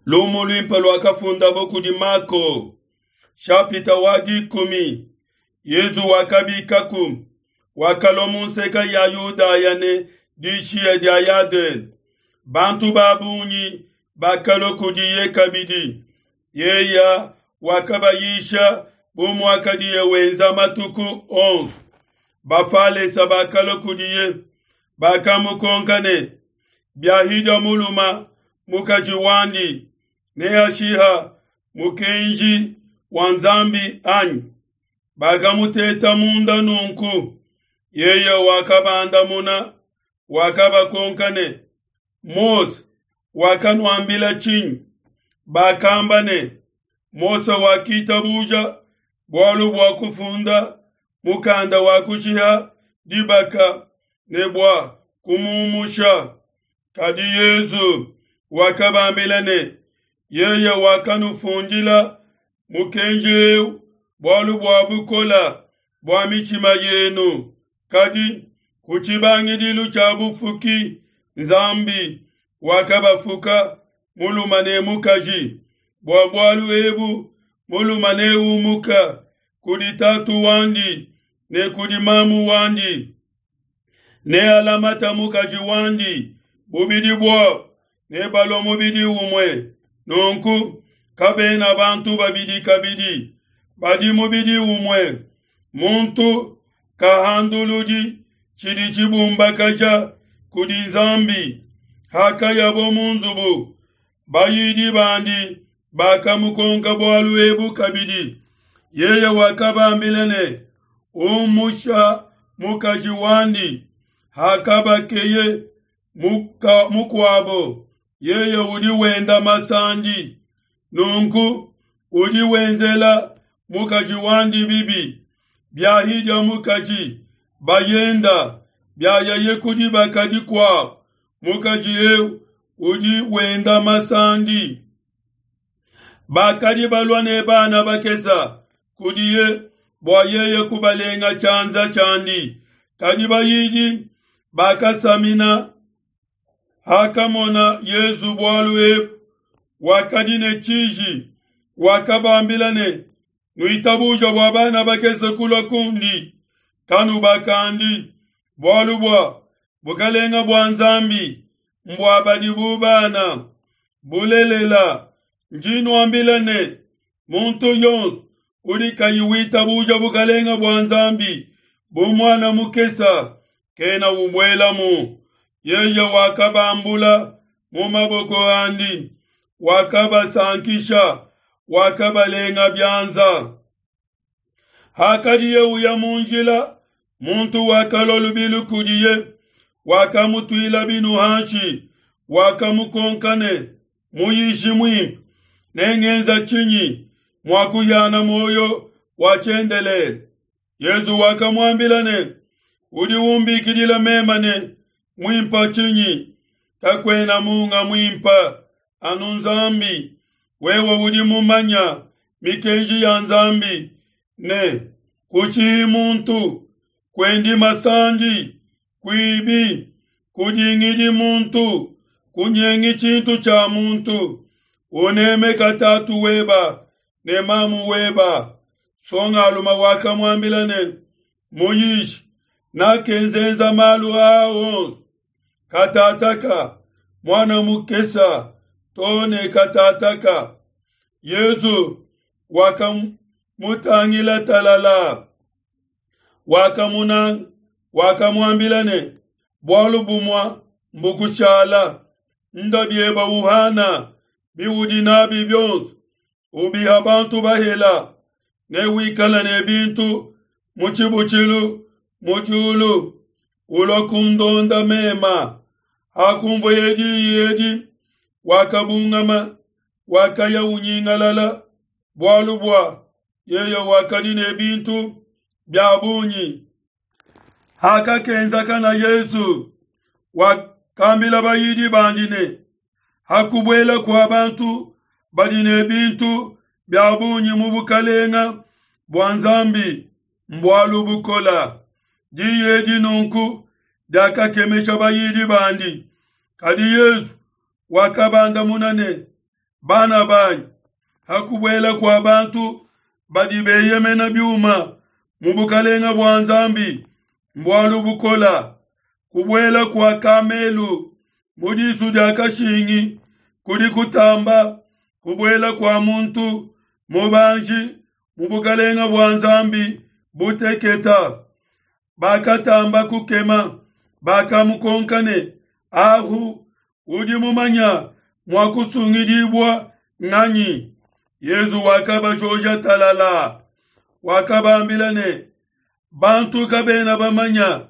Lumu luimpe luakafundabo kudi Mako, shapita wa 10. Yezu wakabikaku, wakalua mu nseka ya Yudaya ne dishiya dia Yadene. Bantu ba bungi bakalua kudiye kabidi. Yeya wakabayisha bu muakadiye wenza matuku onso. Bafalesa bakalua kudiye, bakamukonka ne, Biahidia muluma mukaji wandi, neashiha mukenji wa Nzambi anyi? Bakamuteta munda nunku. Yeye wakabandamuna, wakabakonka ne, Mose wakanuambila tshinyi? Bakamba ne, Mose wakitabuja bualu bua kufunda mukanda wa kushiha dibaka ne bua kumumusha. Kadi Yezu wakabambila ne, Yeye wakanufundila mukenji eu bualu bua bukola bua mitshima yenu. Kadi ku tshibangidilu tshia bufuki Nzambi wakabafuka mulume ne mukaji. Bua bualu ebu mulume neumuka kudi tatu wandi ne kudi mamu wandi, nealamata mukaji wandi, bubidi buabo nebalua mubidi umue. Nunku kabena bantu babidi kabidi, badi mubidi umue. Muntu kahanduludi tshidi tshibumbakaja kudi Nzambi. Hakayabo mu nzubu, bayidi bandi bakamukonka bualu ebu kabidi. Yeye wakabambila ne, Umusha mukaji wandi, hakabakeye mukuabo, yeye udi wenda masandi. Nunku udi wenzela mukaji wandi bibi. Biahidia mukaji bayenda, biayaye ku dibaka dikuabo, mukaji eu udi wenda masandi. Bakadi balua ne bana bakesa kudiye bua yeye kubalenga tshianza tshiandi, kadi bayidi bakasamina. Hakamona Yezu bualu ebu, wakadi ne tshiji, wakabambila ne, Nuitabuja bua bana bakese kulua kundi, kanubakandi, bualu bua bukalenga bua Nzambi mbua badi bu bana. Bulelela, ndi nuambila ne, muntu yonso udi kayi witabuja bukalenga bua Nzambi bu muana mukesa kena ubuelamu. Yeye wakabambula mu maboko andi, wakabasankisha, wakabalenga bianza. Hakadiye uya mu njila, muntu wakalua lubilu kudiye, wakamutuila binu hanshi, wakamukonka ne, Muyishi muimpe, nengenza tshinyi mua kuhiana muoyo wa tshiendelele? Yezu wakamuambila ne, Udi umbikidila mema ne muimpa tshinyi? Kakuena munga muimpa, anu Nzambi. Wewe udi mumanya mikenji ya Nzambi ne, kushihi muntu, kuendi masandi, kuibi, kudingidi muntu, kunyengi tshintu tshia muntu, unemeka tatu weba ne mamu weba. Songaluma wakamuambila ne, Muyishi, nakenzenza malu aa onso katataka muana mukesa to ne katataka. Yezu wakamutangila talala, wakamunanga, wakamuambila ne, Bualu bumua mbukushala, nda bieba uhana biudi nabi bionso, ubiha bantu bahela, ne wikala ne bintu mu tshibutshilu mu diulu, ulua kundonda mema. Hakumvueye diyi edi, wakabungama, wakaya unyingalala, bualu bua yeye wakadi ne bintu bia bungi. Hakakenzakana Yezu wakambila bayidi bandi ne, Hakubuela kua bantu badi ne bintu bia bungi mu bukalenga bua Nzambi mbualu bukola. Diyi edi nunku diakakemesha bayidi bandi. Kadi Yezu wakabandamuna ne, Bana banyi, ha kubuela kua bantu badi beyemena biuma mu bukalenga bua Nzambi mbualu bukola. Kubuela kua kamelu mu disu dia kashingi kudi kutamba kubuela kua muntu mubanji mu bukalenga bua Nzambi buteketa. Bakatamba kukema, bakamukonka ne, Ahu udi mumanya mua kusungidibua nganyi? Yezu wakabajoja talala, wakabambila ne, Bantu kabena bamanya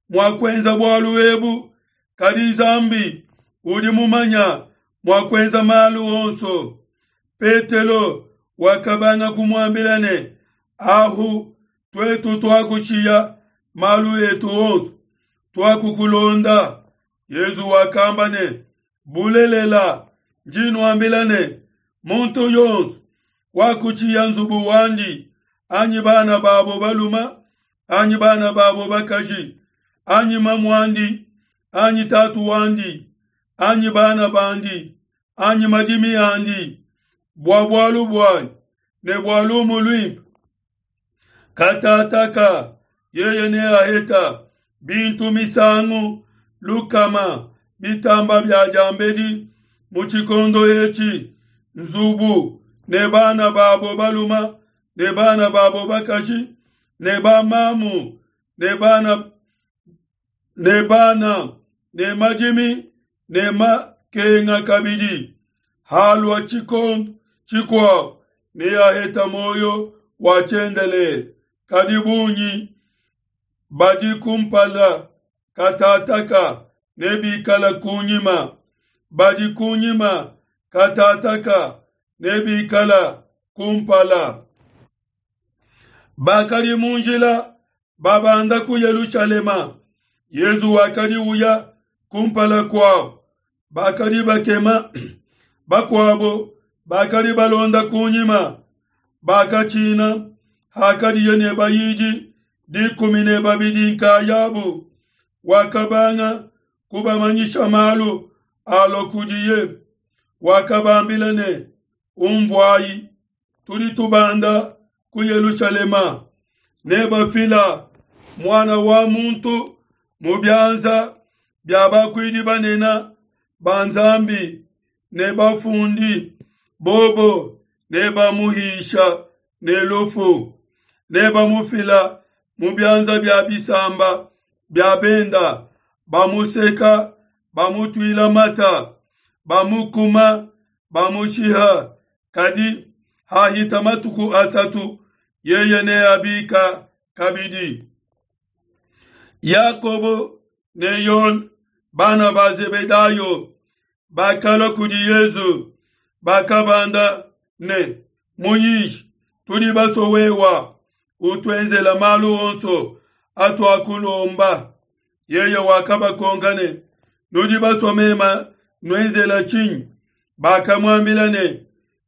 mua kuenza bualu ebu, kadi Nzambi udi mumanya mua kuenza malu onso. Petelo wakabanga kumuambila ne, Ahu tuetu tuakushiya malu etu onso, tuakukulonda. Yezu wakamba ne, Bulelela, ndi nuambila ne, muntu yonso wakutshiya nzubu wandi, anyi bana babo baluma, anyi bana babo bakaji, anyi mamuandi, anyi tatu wandi, anyi bana bandi, anyi madimi andi, bua bualu buanyi ne bua lumu luimpe, katataka yeye neaheta bintu misangu lukama bitamba bia diambedi mu tshikondo etshi, nzubu ne bana babo baluma ne bana babo bakaji ne bamamu ne bana ne bana ne madimi ne makenga kabidi. Halua tshikondo tshikuabo neaheta muoyo wa tshiendelele. Kadi bungi badi kumpala katataka nebikala kunyima, badi kunyima katataka nebikala kumpala. Bakadi mu njila babanda ku Yelushalema, Yezu wakadi uya kumpala kuabo, bakadi bakema bakuabo bakadi balonda kunyima, bakatshina hakadiye ne bayidi 12 nkayabu. Wakabanga kubamanyisha malu alua kudiye. Wakabambila ne, Umvuayi, tudi tubanda ku Yelushalema, nebafila Muana wa Muntu mu bianza bia bakuidi banene ba Nzambi ne bafundi, bobo nebamuhisha ne lufu, nebamufila mu bianza bia bisamba bia benda, bamuseka, bamutuila mata, bamukuma, bamushiha. Kadi hahita matuku asatu, yeye neabika kabidi. Yakobo ne Yone, bana ba Zebedayo, bakalua kudi Yezu, bakabanda ne, Muyishi, tudi basue wewa utuenzela malu onso atuakulomba. Yeye wakabakonka ne, Nudi basue mema nuenzela tshinyi? Bakamuambila ne,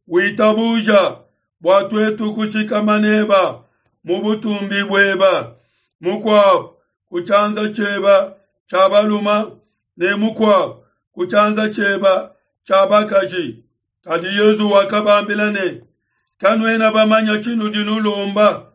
Witabuja bua tuetu kushikama neba mu butumbi bueba, mukuabu ku tshianza tshieba tshia baluma ne mukuabu ku tshianza tshieba tshia bakaji. Kadi Yezu wakabambila ne, Kanuena bamanya tshinudi nulomba.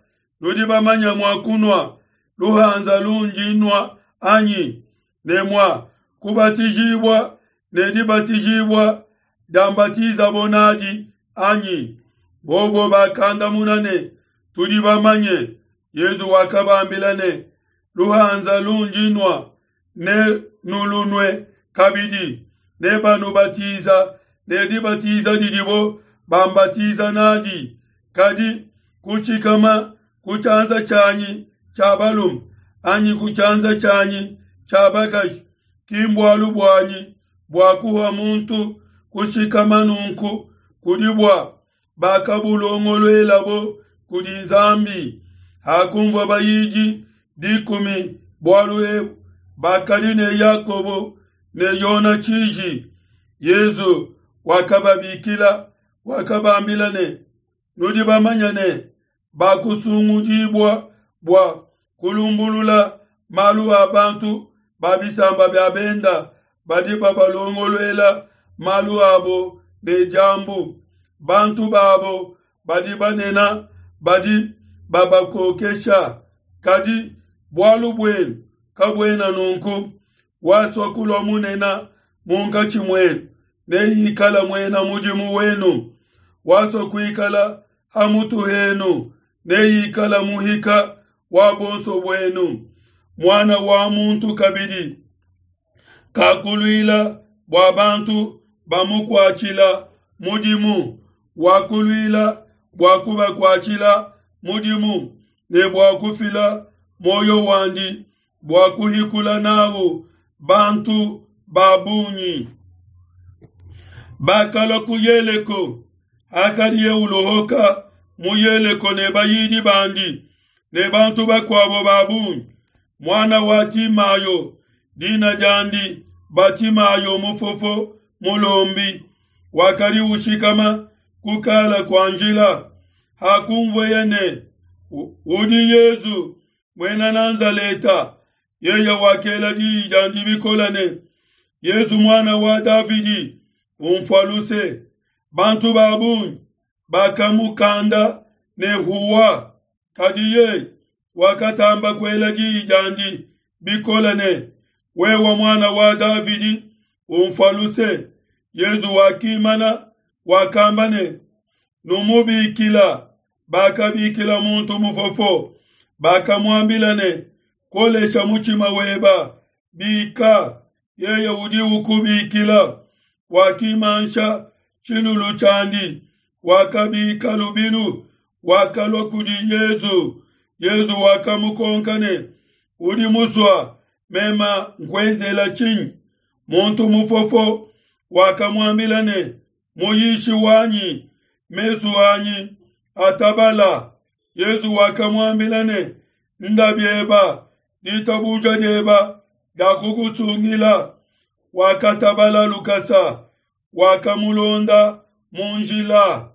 Nudi bamanya mua kunua luhanza lundi nua anyi, ne mua kubatijibua ne dibatijibua diambatizabo nadi anyi? Bobo bakandamuna ne, Tudi bamanye. Yezu wakabambila ne, Luhanza lundi nua ne nulunue kabidi, ne banubatiza ne dibatiza didibo bambatiza nadi. Kadi kushikama ku tshianza tshianyi tshia balume anyi ku tshianza tshianyi tshia bakaji ki mbualu buanyi bua kuha muntu kushikama nunku, kudi bua bakabulongoluelabo kudi Nzambi. Hakumvua bayidi 10 bualu ebu, bakadi ne Yakobo ne Yona tshiji. Yezu wakababikila, wakabambila ne, Nudi bamanya ne bakusungudibua bua kulumbulula malu a bantu ba bisamba bia benda badi babalongoluela malu abo ne diambu, bantu babo badi banene badi babakokesha. Kadi bualu buenu kabuena nunku. Wasua kulua munene munkatshi muenu neikale muena mudimu wenu. Wasua kuikala ha mutu henu neikale muhika wa buonso buenu. Muana wa muntu kabidi kakuluila bua bantu bamukuatshila mudimu, wakuluila bua kubakuatshila mudimu ne bua kufila muoyo wandi bua kuhikula nawu bantu ba bungi. Bakalua ku Yeleko, hakadiye ulohoka mu Yeleko ne bayidi bandi ne bantu bakuabo ba bungi, muana wa Timayo, dina diandi Batimayo mufofo mulombi, wakadi ushikama ku kala kua njila. Hakunvueye ne, Udi Yesu Muena Nazaleta, yeye wakela diyi diandi bikole ne, Yesu muana wa Davidi, unfua luse. Bantu ba bungi bakamukanda ne huwa, kadi yeye wakatamba kuela diyi diandi bikole ne, Wewe muana wa Davidi, unfua luse. Yesu wakimana, wakamba ne, Numubikila. Bakabikila muntu mufofo, bakamuambila ne, Kolesha mutshima weba, bika, yeye udi ukubikila. Wakimansha tshilulu tshiandi, wakabika lubilu, wakalua kudi Yesu. Yesu wakamukonka ne, Udi musua mema nkuenzela tshinyi? Muntu mufofo wakamuambila ne, Muyishi wanyi, mesu anyi atabala. Yesu wakamuambila ne, Nda bieba, ditabuja dieba diakukusungila. Wakatabala lukasa, wakamulonda mu njila.